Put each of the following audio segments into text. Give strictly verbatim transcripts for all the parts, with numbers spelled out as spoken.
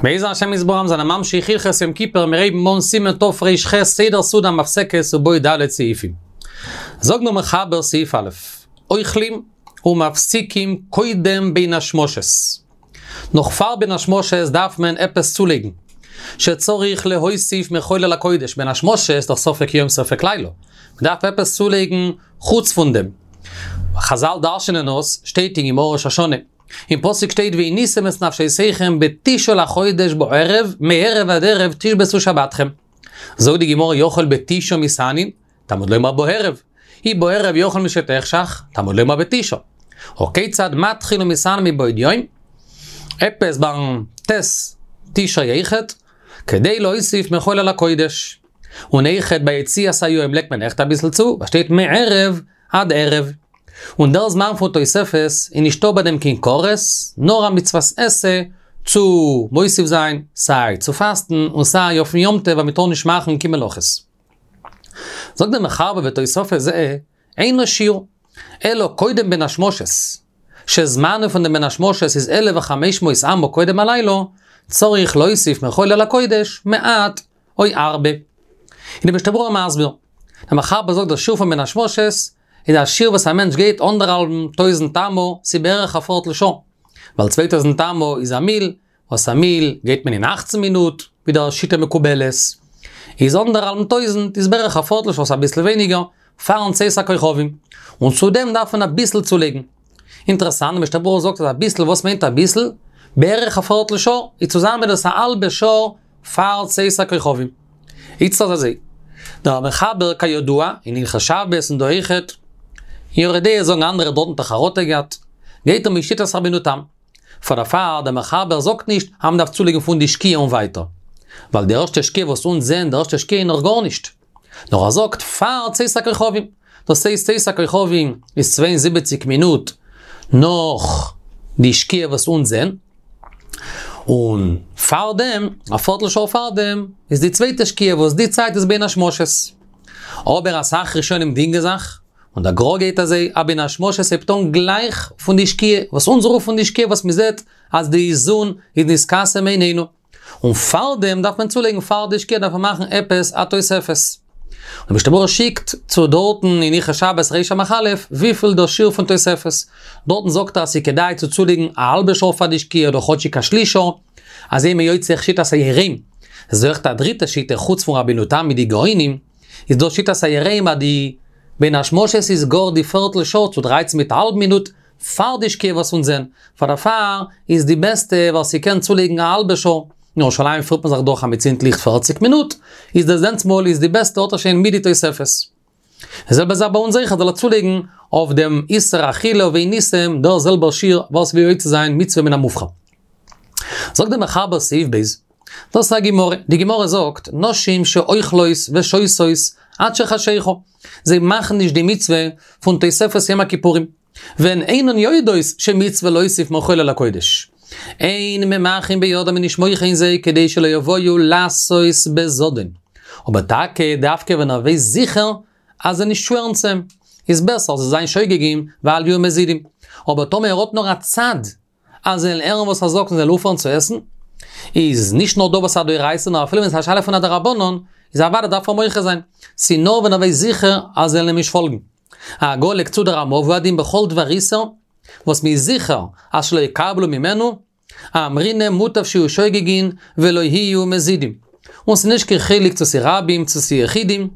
בעזר השם יתברך זענען ממשיך הלכות יום כיפור מיר הייבן אן סימן תר"ח סדר סעודה המפסקת ובו ד' סעיפים. זאגט דער מחבר סעיף א', אוכלים ומפסיקים קודם בין השמשות. נאך פאר בין השמשות דארף מען עפעס צולייגן. שצריך להוסיף מחול על הקודש, בין השמשות איז דאך ספק יום ספק לילה. מ'דארף עפעס צולייגן חוץ פון דעם. חזל דרש'נען עס, שטייט אין גמרא ראש השנה. אין פסוק שטייט ועניתם את נפשותיכם בתשעה לחודש בערב, מערב עד ערב תשבתו שבתכם. זאגט די גמרא יכול בתשעה מתענין, תלמוד לומר בערב. אי בערב יכול משתחשך, תלמוד לומר בתשעה. הא כיצד מתחיל ומתענה מבעוד יום? עפעס ביים ט' תשרי אויכעט, כדי להוסיף מחול על הקודש. און אויכעט ביי יציאת היום לייגט מען אויכעט אביסל צו, וואס שטייט מערב עד ערב. און דער זמן פון תוספת איז נישטא ביי דעם קיין כרת, נאר א מצוות עשה צו מוסיף זיין, סיי צו פאסטן און סיי אויפן יום טוב אז מען טאר נישט מאכן קיין מלאכות. זאגט דער מחבר ותוספת זה אין לה שיעור, אלא קודם בין השמשות, שזמנו פון דעם בין השמשות איז אלף וחמש מאות אמה קודם הלילה, צריך להוסיף מחול על הקודש מעט או הרבה. און דער משנה ברורה מסביר. דער מחבר זאגט דער שיעור פון בין השמשות איז א שיעור וואס א מענטש גייט אנדערהאלבן טויזנט אמה, ס'איז בערך א פערטל שעה. ווייל צוויי טויזנט אמה איז א מיל, וואס א מיל גייט מען אין אַכצן מינוט, ווי דער שיטה מקובלת. איז אנדערהאלבן טויזנט איז בערך א פערטל שעה, ס'איז אביסל ווייניגער, פארן צאת הכוכבים. און צו דעם דארף מען אביסל צולייגן. אינטערעסאנט, משנה ברורה זאגט אז אביסל, וואס מיינט אביסל? בערך א פערטל שעה, איז צוזאמען דאס א האלבע שעה פאר צאת הכוכבים. איצט איז אזוי, דער מחבר כידוע, אין הלכות שבת און דא אויכעט, אין יורה דעה זאגן אנדערע דארטן האט ער חרטה געהאט, גייט ער מיט שיטת רבינו תם. פאר דערפאר דער מחבר זאגט נישט אז מ'דארף צולייגן פון די שקיעה און ווייטער. ווייל די ערשטע שקיעה וואס אונז זעהן די ערשטע שקיעה איז נאך גארנישט. נאר ער זאגט פאר צאת הכוכבים. דאס הייסט צאת הכוכבים איז צוויי און זיבעציק מינוט נאך די שקיעה וואס אונז זעהן. און פארדעם, א פערטל שעה פארדעם, איז די צווייטע שקיעה וואס די צייט איז בין השמשות. אבער אסאך ראשונים דינגען זיך, און דער גר"א גייט אזוי, אז בין השמשות הייבט אן גלייך פון די שקיעה, וואס אונז רופן די שקיעה וואס מ'זעט אז די זון איז נתכסה מעינינו. און פארדעם דארף מען צולייגן פאר די שקיעה דארף מען מאכן עפעס א תוספת. און משנה ברורה שיקט צו דארטן אין הלכות שבת ריש סמך א' וויפיל דער שיעור פון תוספת. דארטן זאגט ער אז ס'איז כדאי צו צולייגן א האלבע שעה פאר די שקיעה אדער כאטשיג א שליש שעה, אזוי איז מען יוצא אויך שיטת היראים. ס'איז אויך א דריטע שיטה חוץ פון רבינו תם מיט די גאונים, איז דא שיטת היראים אז די בין השמשות איז גאר די פערטל שעה צו דרייצן מיט א האלב מינוט פאר די שקיעה וואס אונז זעהן, פאר דערפאר איז די בעסטע ווער ס'קען צולייגן א האלבע שעה, אין ירושלים פירט מען זיך דאך אז מ'צינדט ליכט פֿערציק מינוט, איז דאס דענסטמאל איז די בעסטע האט ער שוין מיט די תוספת. די זעלבע זאך ביי אונז אויכעט זאל ער צולייגן אויף דעם איסור אכילה ועניתם דער זעלבער שיעור וואס ווי יוצא זיין מצוה מן המובחר. זאגט דער מחבר סעיף ב', דאס איז א גמרא, די גמרא זאגט, נשים שאוכלות ושותות עד שחשיכה, זיי מאכן נישט די מצוה פון תוספת יום הכיפורים, והן אינן יודעות שמצוה להוסיף מחול על הקודש. אין ממחין בידן מ'איז נישט מוחה אין זיי כדי שלא יבואו לעשות בזדון. אבער טאקע דווקא ווען ער ווייסט זיכער אז זיי נישט שווערן צו אים, איז בעסער זיי זיין שוגגים ואל יהיו מזידים. אבער טאמער ער האט נאר א צד אז זיי וועלן הערן וואס ער זאגט און זיי וועלן אויפהערן צו עסן, איז נישט נאר דא וואס א דאורייתא נאר אפילו ווען ס'איז א שאלה פון א דרבנן, איז אוודאי דארף ער מוחה זיין. ס'איז נאר ווען ער ווייסט זיכער אז זיי וועלן אים נישט פאלגן. הגה לייגט צו דער רמ"א והוא הדין בכל דבר איסור, וואס מ'איז זיכער אז שלא יקבלו ממנו, אמרינן מוטב שיהיו שוגגין ולא יהיו מזידים. און ס'איז נישט קיין חילוק צו ס'איז רבים צו ס'איז יחידים,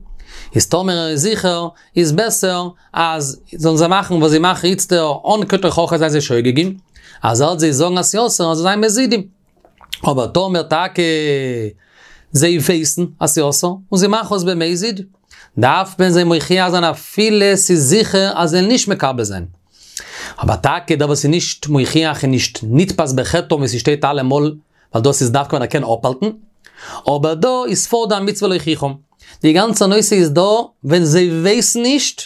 איז טאמער ער איז זיכער, איז בעסער אז זאלן זיי מאכן וואס זיי מאכן איצטער אן קיין תוכחה זיין זיי שוגגים, אז ער וועט זיי זאגן אז ס'איז אסור אז זיי זיין מזידים. אבער טאמער טאקע זיי ווייסן אז ס'איז אסור און זיי מאכן עס במזיד, דארף מען זיי מוכיח זיין אפילו ס'איז זיכער אז זיי וועלן נישט מקבל זיין. אבער טאקע דער וואס איז נישט מוכיח איז נישט נתפס בחטאו ווי ס'שטייט אלעמאל, ווייל דאס איז דווקא ווען ער קען אפהאלטן. אבער דא איז פארט דא א מצוה להוכיחם. די גאנצע נושא איז דא ווען זיי ווייסן נישט,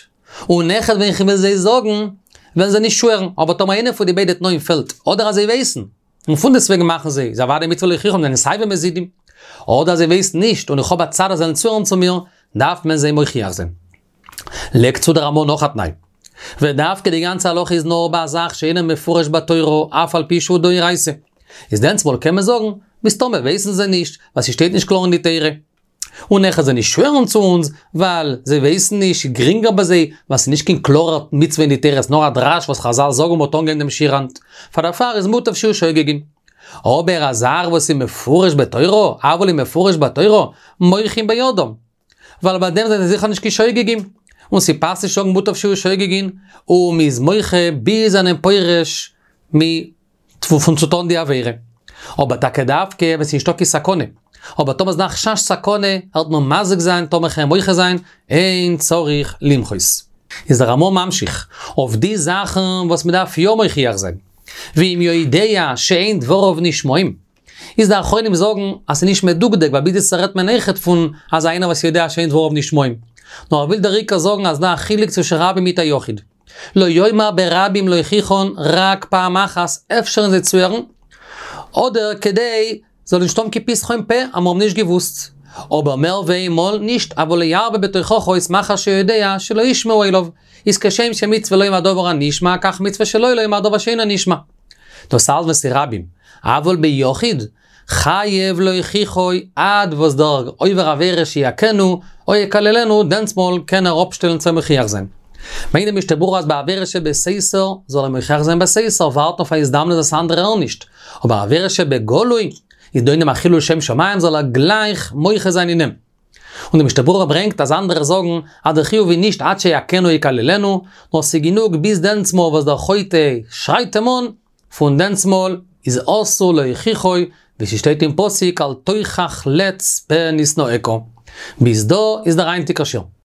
און אויכעט ווען כ'וועל זיי זאגן, וועלן זיי נישט שווערן. אבער טאמער איינע פון די ביידע תנאים פעלט, אדער אז זיי ווייסן, און פונדעסטוועגן מאכן זיי, איז אוודאי מצוה להוכיחם, זענען סייווי מזידים. אדער אז זיי ווייסן נישט, און איך האב א צד אז זיי וועלן צוהערן צו מיר, דארף מען זיי מוכיח זיין. לייגט צו דער רמ"א נאך א תנאי. ודווקא די גאנצע הלכה איז נאר ביי א זאך שאינו מפורש בתורה אף על פי שהוא דאורייתא. איז דענסמאל קען מען זאגן, מסתמא ווייסן זיי נישט, ווייל ס'שטייט נישט קלאר אין די תורה. און אויכעט זיי נישט שווערן צו אונז, ווייל זיי ווייסן נישט, גרינגער ביי זיי, ווייל ס'איז נישט קיין קלארער מצוה אין די תורה, ס'איז נאר א דרש וואס חזל זאגן מ'האט אנגעהויבן דעם שיעור היינט. פאר דערפאר איז מוטב שיהיו שוגגין. אבער א זאך וואס איז מפורש בתורה, אבל אם מפורש בתורה, מוחין בידם. ווייל ביי דעם זענען זיי זיכער נישט קיין שוגגים. און ס'פאסט נישט זאגן מוטב שיהיו שוגגין, און מ'איז מוחה ביז זענען פורש מ פון צו טון די עבירה. אבער טאקע דווקא ווען ס'איז נישטא קיין סכנה. אבער טאמער איז דא א חשש סכנה, העט מען מזיק זיין טאמער כ'על מוחה זיין, אין צריך למחות. איז דער רמא ממשיך, אויף די זאכן וואס מ'דארף יא מוכיח זיין. ואם יודע שאין דבריו נשמעים. איז די אחרונים זאגן אז ס'איז נישט מדוקדק, ווייל ביז יעצט רעדט מען אויכעט פון אז איינער וואס יודע שאין דבריו נשמעים. נאר ער וויל דער עיקר זאגן אז דא א חילוק צווישן רבים מיט א יחיד. לא יאמר ברבים להוכיחן רק פעם אחת, אפשר זיי צוהערן, אדער כדי זאל נישט האבן קיין פתחון פה, אז מיר האבן נישט געוואוסט. אבער מער ווי איינמאל נישט, אבל לא ירבה בתוכחות מחמת שיודע שלא ישמעו אליו. איז כשם שמצוה לומר דבר הנשמע, כך מצוה שלא לומר דבר שאינו נשמע. דאס אלץ ווען ס'איז רבים. אבל ביחיד, חייב להוכיחו עד וואס דער עובר עבירה שיכנו או יקללנו, דענסמאל קען ער אפשטעלן צו מוכיח זיין. מיינט די משנה ברורה אז בעבירה שבסתר זאל ער מוכיח זיין בסתר, ווארטן אויף א הזדמנות אז אנדערע הערן נישט. אבער עבירה שבגלוי, איז דא אין דעם א חילול שם שמים, זאל ער גלייך מוחה זיין אין אים. און די משנה ברורה ברענגט אז אנדערע זאגן אז דער חיוב איז נישט עד שיכנו יקללנו, נאר ס'איז גענוג ביז דענסמאל וואס דער חוטא שרייט אים אן, פון דענסמאל איז אסור להוכיחו, ווי ס'שטייט אין פסוק אל תוכח לץ פה נשנאך. ביז דא איז דער היינטיגער שיעור.